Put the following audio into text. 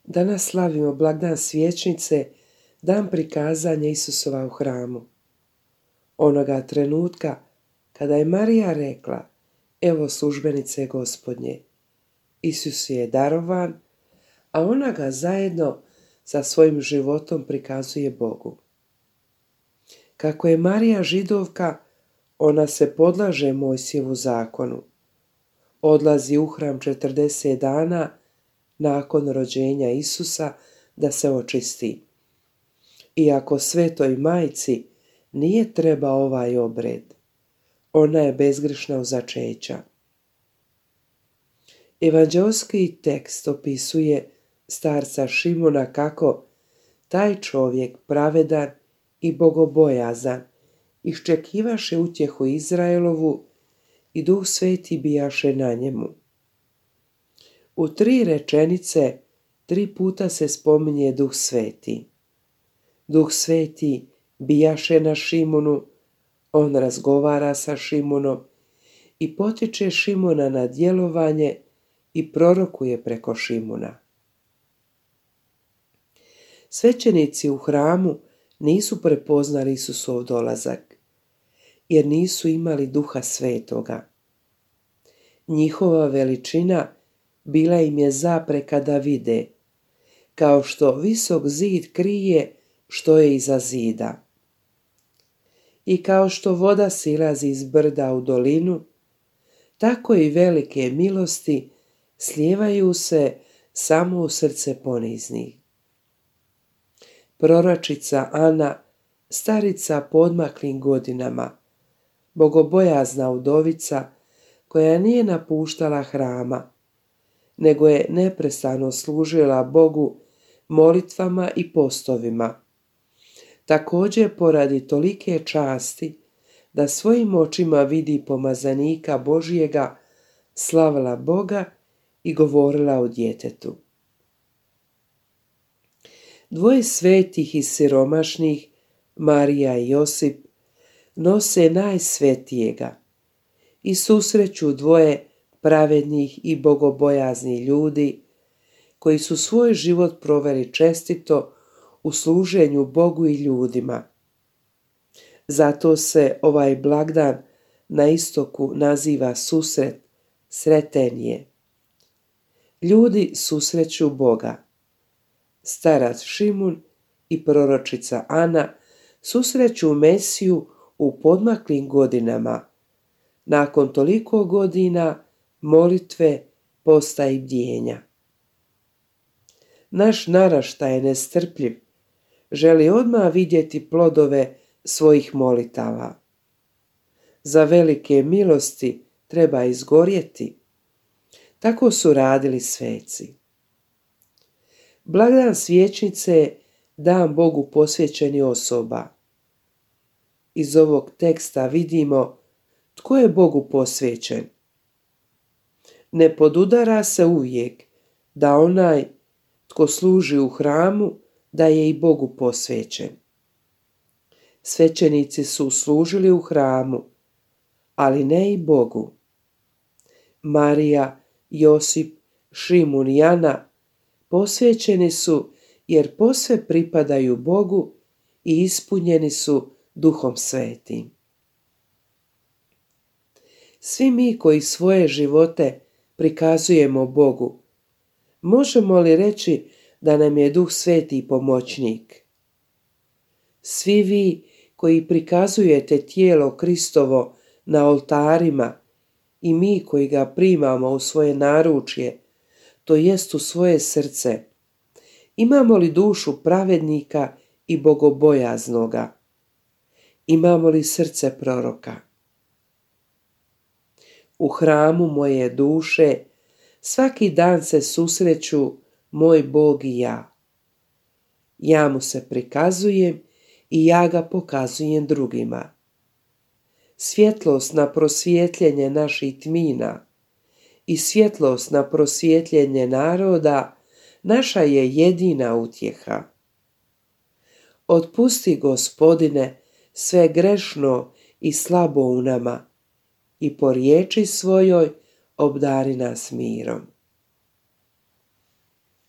Danas slavimo blagdan Svijećnice, dan prikazanja Isusova u hramu. Onoga trenutka kada je Marija rekla: "Evo službenice Gospodnje", Isus je darovan, a ona ga zajedno sa svojim životom prikazuje Bogu. Kako je Marija Židovka, ona se podlaže Mojsijevu zakonu. Odlazi u hram 40 dana nakon rođenja Isusa da se očisti. Iako svetoj majci nije trebao ovaj obred, ona je bezgrešna od začeća. Evanđeoski tekst opisuje starca Šimuna kako taj čovjek pravedan i bogobojazan iščekivaše utjehu Izraelovu i Duh Sveti bijaše na njemu. U 3 rečenice 3 puta se spominje Duh Sveti. Duh Sveti bijaše na Šimunu, on razgovara sa Šimunom i potiče Šimuna na djelovanje i prorokuje preko Šimuna. Svećenici u hramu nisu prepoznali Isusov dolazak, jer nisu imali Duha Svetoga. Njihova veličina bila im je zapreka da vide, kao što visok zid krije što je iza zida. I kao što voda silazi iz brda u dolinu, tako i velike milosti slijevaju se samo u srce poniznih. Proročica Ana, starica podmaklim godinama, bogobojazna udovica koja nije napuštala hrama, nego je neprestano služila Bogu molitvama i postovima. Također poradi tolike časti da svojim očima vidi pomazanika Božjega, slavila Boga i govorila o djetetu. 2 svetih i siromašnih, Marija i Josip, nose najsvetijega i susreću 2 pravednih i bogobojaznih ljudi koji su svoj život proveli čestito u služenju Bogu i ljudima. Zato se ovaj blagdan na istoku naziva susret, sreten je. Ljudi susreću Boga. Starac Šimun i proročica Ana susreću Mesiju u podmaklim godinama, nakon toliko godina molitve, posta i bdjenja. Naš naraštaj je nestrpljiv, želi odmah vidjeti plodove svojih molitava. Za velike milosti treba izgorjeti. Tako su radili sveci. Blagdan Svijećnice je dan Bogu posvećeni osoba. Iz ovog teksta vidimo tko je Bogu posvećen. Ne podudara se uvijek da onaj tko služi u hramu da je i Bogu posvećen. Svećenici su služili u hramu, ali ne i Bogu. Marija, Josip, Šimun i Ana posvećeni su jer posve pripadaju Bogu i ispunjeni su Duhom Svetim. Svi mi koji svoje živote prikazujemo Bogu, možemo li reći da nam je Duh Sveti pomoćnik? Svi vi koji prikazujete tijelo Kristovo na oltarima i mi koji ga primamo u svoje naručje, to jest u svoje srce, imamo li dušu pravednika i bogobojaznoga? Imamo li srce proroka? U hramu moje duše svaki dan se susreću moj Bog i ja. Ja mu se prikazujem i ja ga pokazujem drugima. Svjetlost na prosvjetljenje naših tmina i svjetlost na prosvjetljenje naroda naša je jedina utjeha. Otpusti, Gospodine, sve grešno i slabo u nama i po riječi svojoj obdari nas mirom.